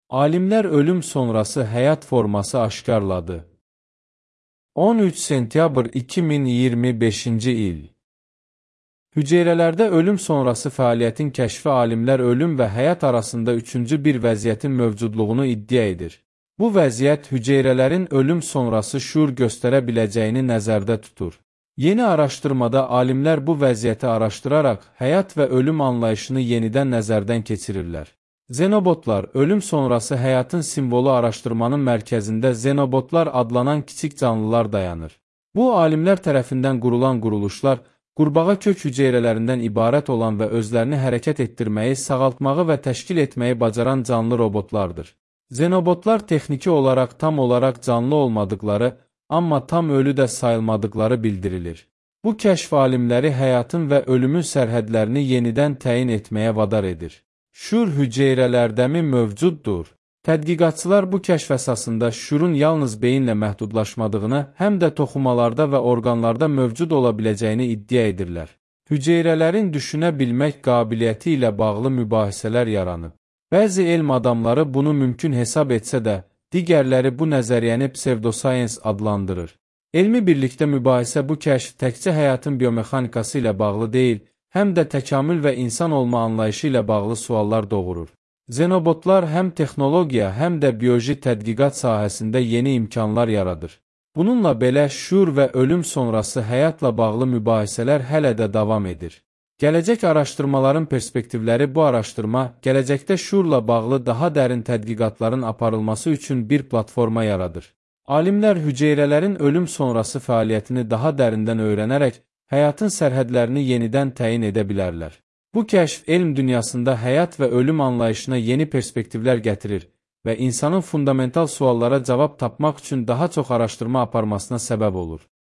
Alimlər ölüm sonrası həyat forması aşkarladı. 13 sentyabr 2025-ci il. Hüceyrələrdə ölüm sonrası fəaliyyətin kəşfi alimlər ölüm və həyat arasında üçüncü bir vəziyyətin mövcudluğunu iddia edir. Bu vəziyyət hüceyrələrin ölüm sonrası şuur göstərə biləcəyini nəzərdə tutur. Yeni araşdırmada alimlər bu vəziyyəti araşdıraraq həyat və ölüm anlayışını yenidən nəzərdən keçirirlər. Xenobotlar, ölüm sonrası həyatın simvolu araşdırmanın mərkəzində xenobotlar adlanan kiçik canlılar dayanır. Bu, alimlər tərəfindən qurulan quruluşlar, qurbağa kök hüceyrələrindən ibarət olan və özlərini hərəkət etdirməyi, sağaltmağı və təşkil etməyi bacaran canlı robotlardır. Xenobotlar texniki olaraq tam olaraq canlı olmadıqları, amma tam ölü də sayılmadıqları bildirilir. Bu kəşf alimləri həyatın və ölümün sərhədlərini yenidən təyin etməyə vadar edir. Şuur hüceyrələrdəmi mövcuddur? Tədqiqatçılar bu kəşf əsasında şuurun yalnız beyinlə məhdudlaşmadığını, həm də toxumalarda və orqanlarda mövcud ola biləcəyini iddia edirlər. Hüceyrələrin düşünə bilmək qabiliyyəti ilə bağlı mübahisələr yaranıb. Bəzi elm adamları bunu mümkün hesab etsə də, digərləri bu nəzəriyyəni pseudoscience adlandırır. Elmi birlikdə mübahisə bu kəşf təkcə həyatın biomexanikası ilə bağlı deyil, həm də təkamül və insan olma anlayışı ilə bağlı suallar doğurur. Xenobotlar həm texnologiya, həm də bioloji tədqiqat sahəsində yeni imkanlar yaradır. Bununla belə şuur və ölüm sonrası həyatla bağlı mübahisələr hələ də davam edir. Gələcək araşdırmaların perspektivləri bu araşdırma, gələcəkdə şuurla bağlı daha dərin tədqiqatların aparılması üçün bir platforma yaradır. Alimlər hüceyrələrin ölüm sonrası fəaliyyətini daha dərindən öyrənərək, həyatın sərhədlərini yenidən təyin edə bilərlər. Bu kəşf elm dünyasında həyat və ölüm anlayışına yeni perspektivlər gətirir və insanın fundamental suallara cavab tapmaq üçün daha çox araşdırma aparmasına səbəb olur.